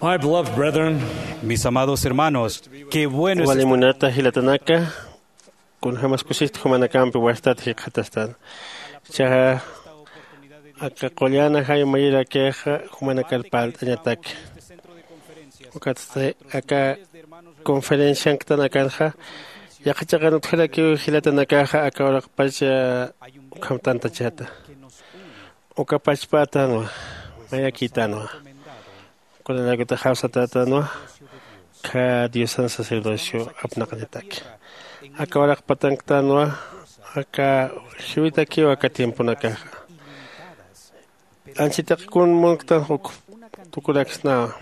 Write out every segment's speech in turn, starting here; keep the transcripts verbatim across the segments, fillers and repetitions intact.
My beloved brethren, mis amados hermanos, qué bueno es wali munata jilatanaka, kunjämas kusista jumanakampi wastat jikxatastan. Ichaxa aka qullan ajay mayirakixa jumanakar parlt'añataki. Ukatsti aka conferencianktan akanxa yaqha chiqan utjarakiw jilatanakaxa aka uraqpach ukham tantachata. Uka pachpätanwa, mayakïtanwa. Kunalaykutix jawsatätanwa, khä diosan sacerdocio apnaqañataki. Aka uraqpatanktanwa aka jiwitakiw aka tiemponakaxa. Anchitix kun munktan uk tukuraksnawa.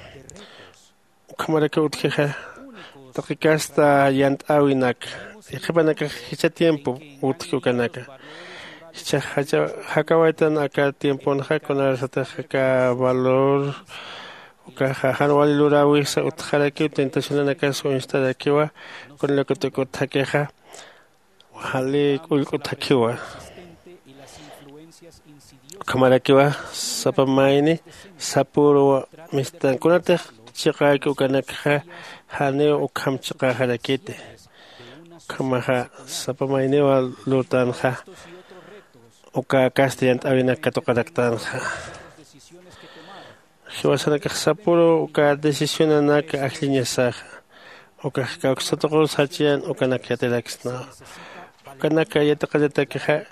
Ukhamarakiw utjixa taqi kasta yant'äwinak, yaqhipanakax jichha tiempo utji ukanaka. Jichhax jakawaytan aka tiemponxa kunarsatix aka valor ukaxa jan wali luräwisa utjarakiw tentacionanakas uñstarakiwa. Kunalaykut uk utjakixa wali k'ullk'u thakhiwa. Ukhamarakiwa sapa mayni sapüruw mistan kunatix chiqäki ukanakxa janiw ukham chiqäxarakiti. Ukhamaxa sapa mayniwa lurtänxa uka kasta yant'äwinak katuqaraktanxa. Jiwasanakax sapüru uka decisionanak ajlliñasaxa. Ukax kawksatuqur sachiyan ukanak yatiraksnawa. Ukanak yatiqallatakixa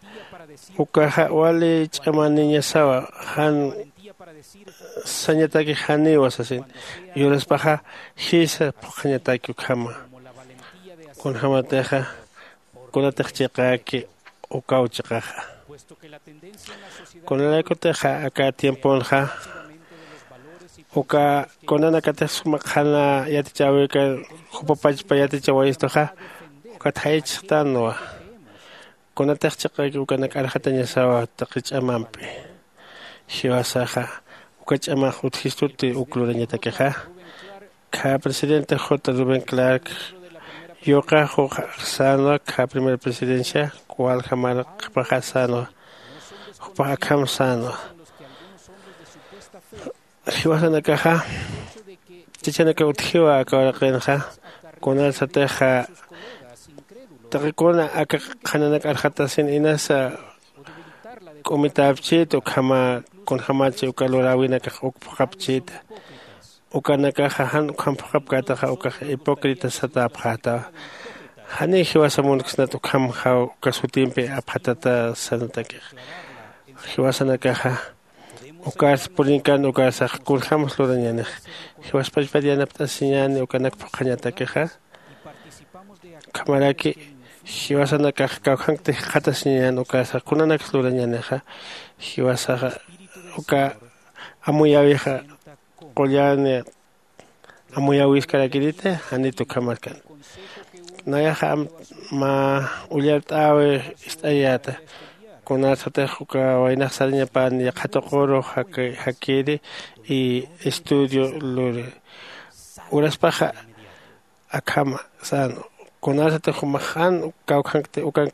ukaxa wali ch'amaniñasawa jan sañatakix janiwa sasin. Yuraspaxa jisa phuqhañataki ukhama. Kunjämatixa kunatix chiqäki ukaw chiqaxa. Kunalaykutixa aka tiemponxa uka kunanakatix suma qhana yatichäwirkar jupa pachpa yatichawayistuxa ukat jayichxtanwa. Kunatix chiqäki ukanak arxatañasawa taqi ch'amampi. Jiwasaxa uka ch'amax utjistuti uk lurañatakixa. Khä presidente j rubén clark yuqax juqax sänwa khä primera presidencia waljamar qhipaxa sänwa. Jupax akham sänwa. Jiwasanakaxa chachanaka utjiwa aka uraqinxa. Kunarsatixa taqi kuna aka qhananak arxatasin inasa k'umitäpchïta ukhama kunjämachi uka luräwinakax uk phuqhapchïta. Ukanakaxa jan ukham phuqhapkätaxa ukax hipócrita satäpxätawa. Janiw jiwasa munksnat ukham jaw uka sutimpi apxatata sanatakixa. Jiwasanakaxa ukarsa purinkän ukarsax kunjämas lurañänix. Jiwaspachpat yanapt'asiñäni ukanak phuqhañatakixa. Ukhamaraki jiwasanakax kawkhankti jikxatasiñän ukarsax kunanaksa lurañänixa. Jiwasaxa uka amuyäwixa qullan amuyäwiskarakiriti. Janit ukhamarkan. Nayaxa mä ullart'äwi ist'ayäta. Kunarsatix uka waynax sarañapan yaqha tuquru jakiri y estudio luri. Uraspaxa akhama sän kunarsatix jumax jan kawkhankti ukank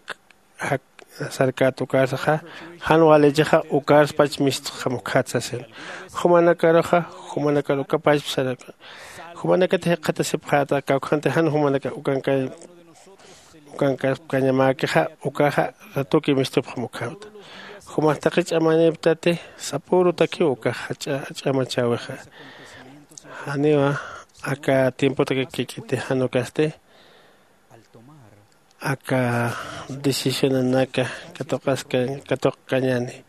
sarkät ukarsaxa jan walichixa ukarspach mistxam ukkhat sasin. Jumanakaruxa jumanakar ukapachp saraka jumanakatix jikxatasipxäta kawkhanti jan jumanaka ukankay ukankaskañamäkixa ukaxa ratuki mistupxam ukkhamta. Jumax taqi ch'amanïptati sapürutakiw ukax ch'amachäwixa. Janiwa aka tiempotakakikiti jan ukasti aka decisionanaka katuqaskañ katuqkañäni.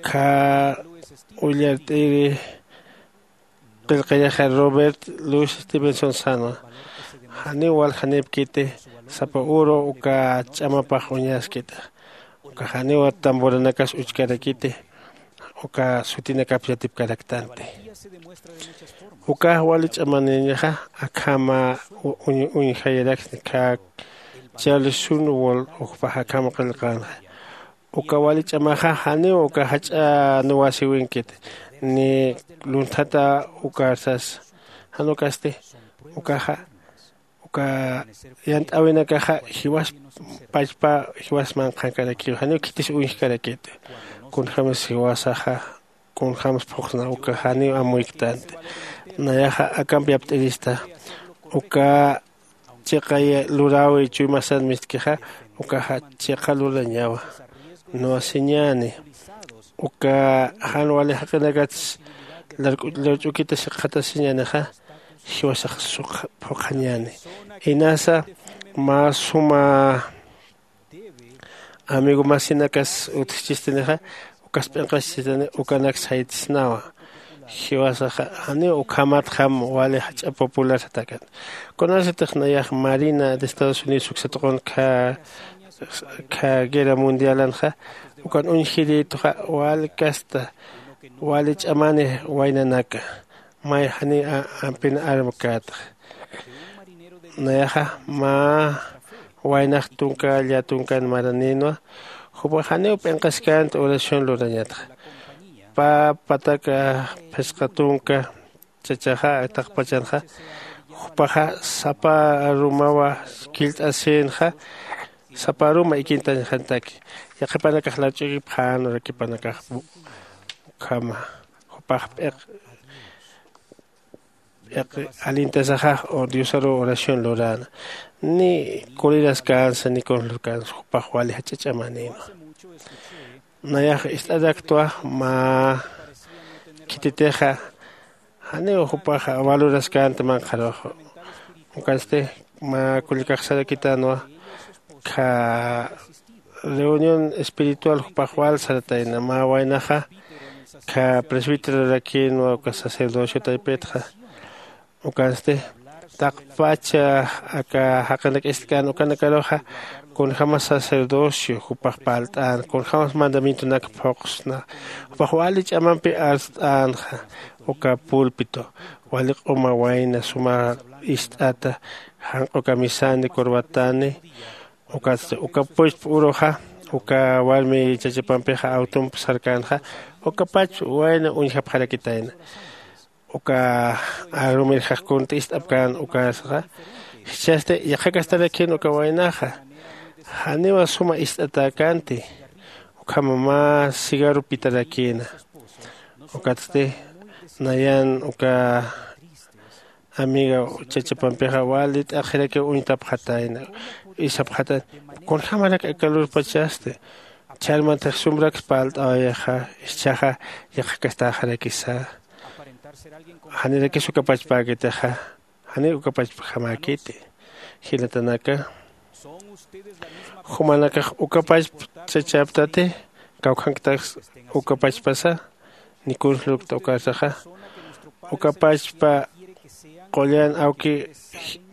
Kha ullart'iri qillqirixa robert louis stevenson sänwa. Janiw waljanipkiti sapa uru uka ch'amapax uñaskita. Uka janiw tamburanakas uchkarakiti uka sutinakap yatipkaraktanti. Ukax wali ch'amaniñaxa akhama uñjayiraksni kha charles sunwol ujpax akhama qillqänxa. Uka wali ch'amaxa janiw uka jach'a nuwasiwinkit ni lunthatäw ukarsas. Jan ukasti ukaxa uka yant'äwinakaxa jiwas pachpa jiwas manqhankarakiw janiw khitis uñjkarakit. Kunjämis jiwasaxa kunjämsa phuqsna uka janiw amuyktanti. Nayaxa akampi apt'irista uka chiqay luräwi chuymasan mistkixa. Ukaxa chiqa lurañawa nuwasiñäni. Uka jan wali jaqinakats lurch'ukita sikxatasiñänixa jiwasax suk phuqhañäni. Inasa mä suma amigo masinakas utjchistinixa ukas p'inqaschistani ukanak saytisnawa. Jiwasaxa janiw ukhamatxam wali jach'a popular satakan. Kunasatix nayax marina de estados unidos uksatuqun kha guerra mundialanxa ukan uñjirituxa wali kasta wali ch'amani waynanaka may janiw ampin armkätxa. Nayaxa mä waynax tunka llatunkan maranïnwa. Jupax janiw p'inqaskänti oración lurañatxa. Pä patak phisqa tunka chachaxa taqpachanxa jupaxa sapa arumawa killt'asïnxa. Sapa aruma ikintañxantaki yaqhipanakax larch'ukipxän urakipanakax ukhama jupax p'iq p'iq alintasaxax diosaruw oración luräna. Ni kuriraskansa ni kunslurkansa jupax wali jach'a ch'amanïnwa. Nayax ist'araktwa mä khititixa janiw jupax valoraskänti manqharux. Ukansti mä kullkax sarakitänwa kha reunión espiritual jupax wal saratayna mä waynaxa kha presbíterorakïnwa uka sacerdocio taypitxa. Ukansti taqpach aka jaqinak ist'kän ukanakaruxa kunjämas sacerdocio jupax parlt'än kunjämas mandamientonak phuqsna jupax wali ch'amampi arst'änxa. Uka púlpito wali q'uma wayna suma ist'ata janq'u camisani corbatani. Ukatsti uka puchpa uruxa uka warmi chachapampixa awtump sarkänxa. Uka pachpa wayna uñjapxarakitayna uka arumirjax kunt'i ist'apkän ukasxa. Jichhasti yaqhakastarakïn uka waynaxa janiwa suma ist'atäkänti. Ukhama mä cigarro pitarakïna. Ukatsti nayan uka amiga chachapampixa wali t'aqhirakiw uñtapxatayna. Isapxatayna kunjämarak aka lurpachasti. Chharmantix sumraks parlt'awayixa. Jichhaxa yaqhakastäxarakisa. Janirakis uka pachpäkitixa janiw uka pachpjamäkiti. Jilatanaka jumanakax uka pachp chachaptati kawkhanktax uka pachpasa. Ni kunslukta ukasaxa uka pachpa qullan awki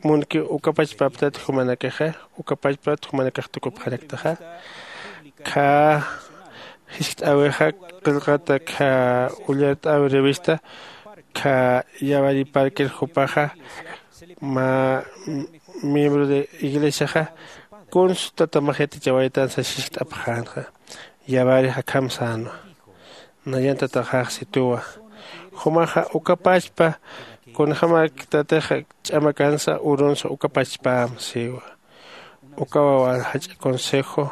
munki uka pachpaptati jumanakaxa uka pachpat jumanakax tukupxaraktaxa. Kha jiskt'äwixa qillqata kha ullart'äwi revista kha yawari parkir jupaxa mä miembro de iglesiaxa kuns tata maxyatichawaytan sas jiskt'apxänxa. Yawari akham sänwa. Nayan tataxax situwa. Jumaxa uka pachpa kunjämak tatixa ch'amakansa urunsa uka pachpäm siwa. Ukawa wal jach'a consejo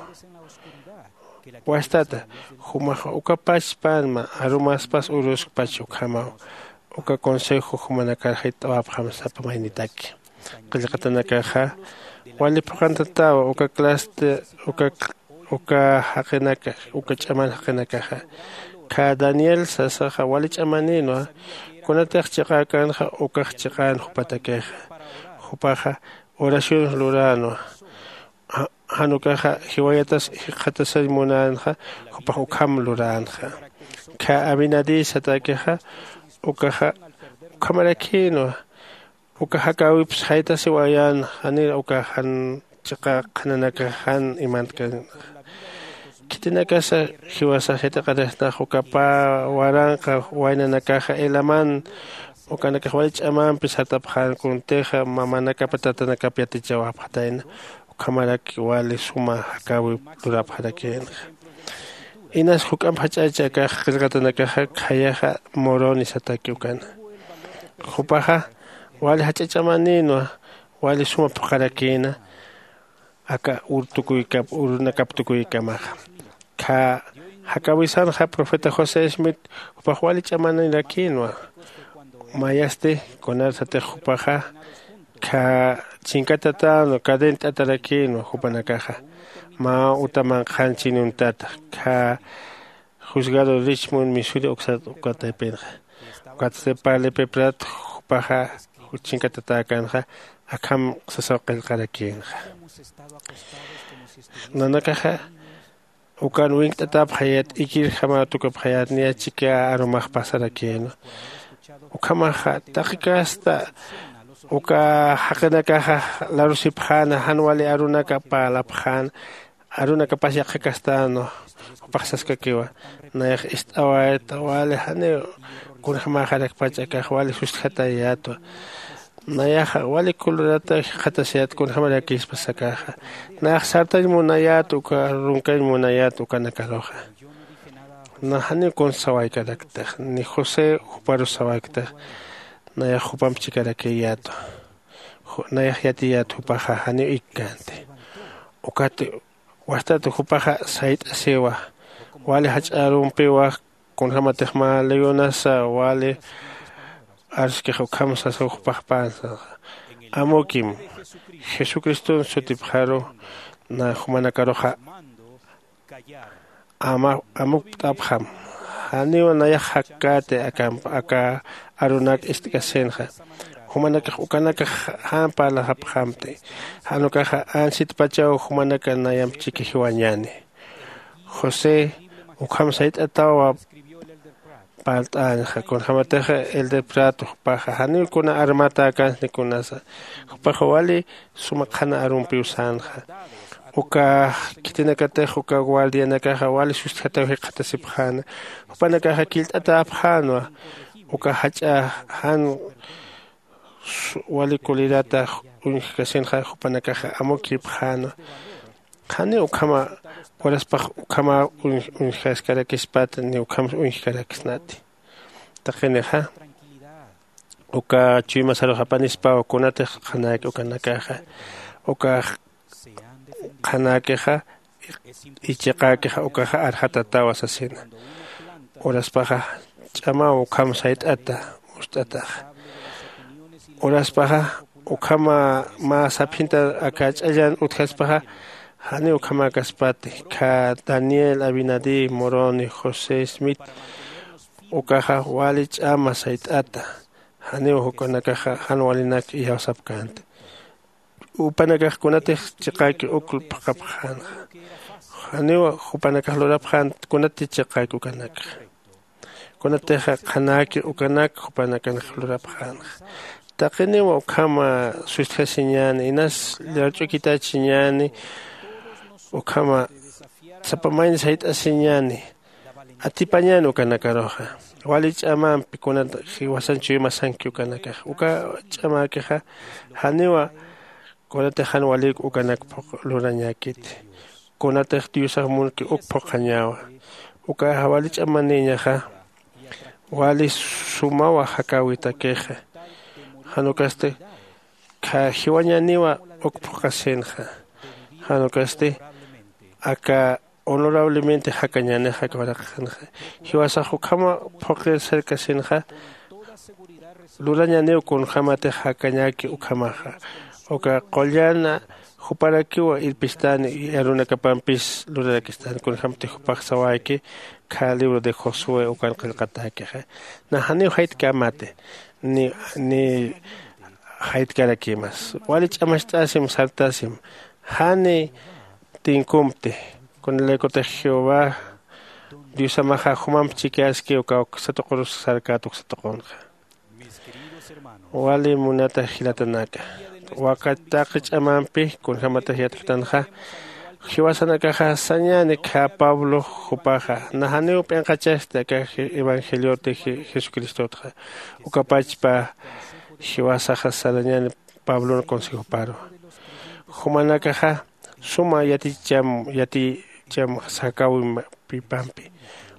wastata. Jumaxa uka pachpänma arumaspas uruskpach ukhamaw. Uka consejo jumanakar jayt'awapxam sapa maynitaki. Qillqatanakaxa wali phuqhantatawa uka claste uka uka jaqinaka uka ch'aman jaqinakaxa. Kha daniel sasaxa wali ch'amanïnwa. Kunatix chiqäkänxa ukax chiqän jupatakixa. Jupaxa oraciones luränwa. Jan ukaxa jiwayatas jikxatasañ munänxa. Jupax ukham luränxa. Kha abinadí satäkixa ukaxa ukhamarakïnwa. Uka jakäwips jaytasiwayän janir uka jan chiqa qhananakax jan imantkan. Khitinakasa jiwasax yatiqarisnax uka pä waranqa waynanakaxa elaman ukanakax wali ch'amampi sartapxän kuntixa mamanakapa tatanakap yatichawapxatayna. Ukhamarak wali suma jakäwi lurapxarakïnxa. Inas juk'amp jach'achi akax qillqatanakaxa khayaxa moroni sataki ukana. Jupaxa wali jach'a ch'amanïnwa. Wali suma phuqharakïna aka ur tukuykap urunakap tukuykamaxa. Kha Jakäwisanxa profeta josé smith jupax wali ch'amanirakïnwa. Mayasti kunarsatix jupaxa khä chinkatatänu cadenat'atarakïnwa jupanakaxa mä uta manqhan chinuntata khä juzgado richmond misuri uksat ukataypinxa. Ukatsti parlipiprat jupaxa chinkatatäkänxa akham sasaw qillqarakïnxa. Nanakaxa ukan winkt'atäpxayät ikirjamaw tukupxayät niya chika arumax pasarakïnwa. Ukhamaxa taqi kasta uka jaqinakaxa larusipxäna jan wali arunaka parlapxäna arunakapas yaqha kastänwa. Jupax saskakiwa nayax ist'awayta wali janiw kunjämäxarakpach akax wali sustjatayätwa. Nayaxa wali kulurata jikxatasiyät kunjämarakïspas akaxa. Nayax sartañ munayät uka runkañ munayät ukanakaruxa. Nax janiw kunsa sawaykaraktax ni josé juparus sawayktix. Nayax jupamp chikarakïyätwa. Nayax yatiyät jupaxa janiw ikkänti. Ukat wastat jupaxa sayt'asiwa wali jach'a arumpiwa kunjämatix mä leyonasa wali arskix ukham sasaw jupax pänsa. Amukim jesucriston sutipxaru na jumanakaruxa amupt'apxam. Janiw nayax jakkäti akamp aka arunak ist'kasinxa. Jumanakax ukanakax jan parlaxapxamti. Jan ukaxa ansitpachaw jumanaka nayamp chiki jiwañäni. José ukham sayt'atawa parlt'añxa kunjämatixa elderprat jupaxa janiw kuna armatäkänsni kunasa. Jupaxa wali suma qhana arumpiw sänxa. Uka khitinakatix uka guardianakaxa wali sustjataw jikxatasipxäna. Jupanakaxa killt'atäpxänwa uka jach'a jan wali kulirata uñjkasinxa jupanakaxa amukïpxänwa. Janiw ukhama uraspax ukhama uñjaskarakispat ni ukham uñjkaraksnati. Taqinixa uka chuymasarux apanispaw kunatix qhanäki ukanakaxa uka qhanäkixa ichiqäkixa ukaxa arxatatawa sasina. Uraspaxa ch'amaw ukham sayt'ata ust'ataxa. Uraspaxa ukhama mä saphinta aka ch'allan utjaspaxa janiw ukhamäkaspati. Khä daniel abinadí moroni josé smith ukaxa wali ch'ama sayt'ata. Janiw jupanakaxa jan walinak iyawsapkänti. Jupanakax kunatix chiqäki uk phuqhapxänxa. Janiw jupanakax lurapxän kunati chiqäki ukanakxa. Kunatixa qhanäki ukanak jupanakanx lurapxänxa. Taqiniw ukhama sustjasiñäni inas llarch'ukitachiñäni ukhama sapa mayni sayt'asiñäni. Atipañäni ukanakaruxa wali ch'amampi kunat jiwasan chuymasanki ukanakax uka ch'amäkixa janiwa kunatix jan walïk ukanak phuq lurañäkiti. Kunatix diosax munki uk phuqhañäwa. Ukaxa wali ch'amanïñaxa wali sumawa jakäwitakixa. Jan ukasti jiwañäniwa uk phuqhasinxa. Jan ukasti aka honorablemente jakañänixa aka waraqinxa. Jiwasax ukhama phuqir cercasinxa lurañäniw kunjämatix jakañäki ukhamaxa. Uka qullan juparakiw irpistani y arunakapampis lurarakistani kunjämtix jupax sawayki khä libro de josué ukan qillqatäkixa. Nax janiw jaytkämati ni ni jaytkarakïmas wali ch'amacht'asim sartasim. Jani tinkumpti kunalaykutix jehová diosamaxa jumamp chikaski uka uksatuqurus sarkät uksatuqunxa. Wali munata jilatanaka, wakat taqi ch'amampi kunjämatix yatkitanxa jiwasanakaxa sañäni khä pablo jupaxa nax janiw p'inqachasti aka evangelioti jesucristotxa. Ukapachpa jiwasaxa sarañäni pablon consejoparu jumanakaxa suma yaticham yaticham sakäwimapipampi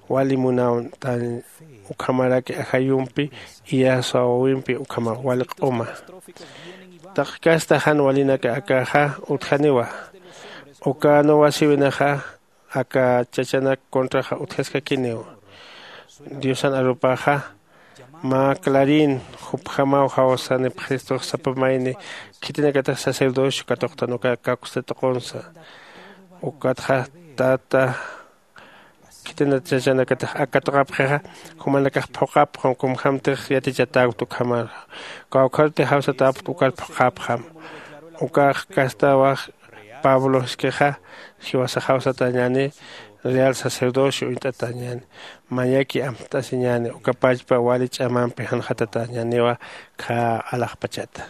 wali munawtan ukhamaraki ajayumpi iyasawawimpi ukhama wali q'uma. Taqi kasta jan walinaka akaxa utjaniwa uka nuwasiwinaxa aka chachanak contraxa utjaskakiniw. Diosan arupaxa mä clarín jupjamaw jawsanipxistux sapa mayni khitinakatix sacerdocio katuqtan uka kakusta tuqunsa. Ukatxa tata khitinat chachanakatix ak katuqapxixa jumanakax phuqhapxam kumjamtix yatichatäkta ukhamar. Kawkharti jawsatäpkta ukar phuqhapxam. Ukax kastawax pablo jiskixa jiwasax jawsatäñäni real sacerdocio uñt'atäñäni. Mayaki amtasiñäni uka pachpa wali ch'amampi janxatatäñäniwa khä alaxpachata.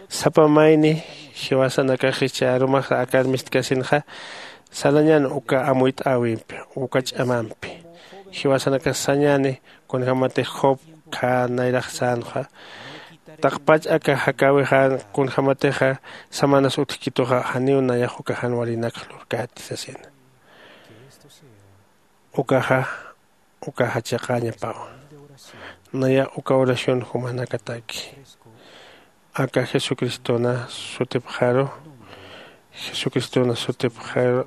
Sapa mayni jiwasanakax jichha arumaxa akar mistkasinxa sarañän uka amuyt'äwimpi uka ch'amampi. Jiwasanakax sañäni kunjämatix job khä nayrax sänxa taqpach aka jakäwixän kunjämatixa samanas utjkituxa janiw nayax uka jan walinakx lurkäti sasina. Ukaxa ukaxa chiqäñapawa. Nayax uka oración jumanakataki aka jesucristona sutipxaru jesucristona sutipxaru.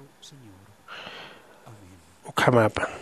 Ukhamäpan.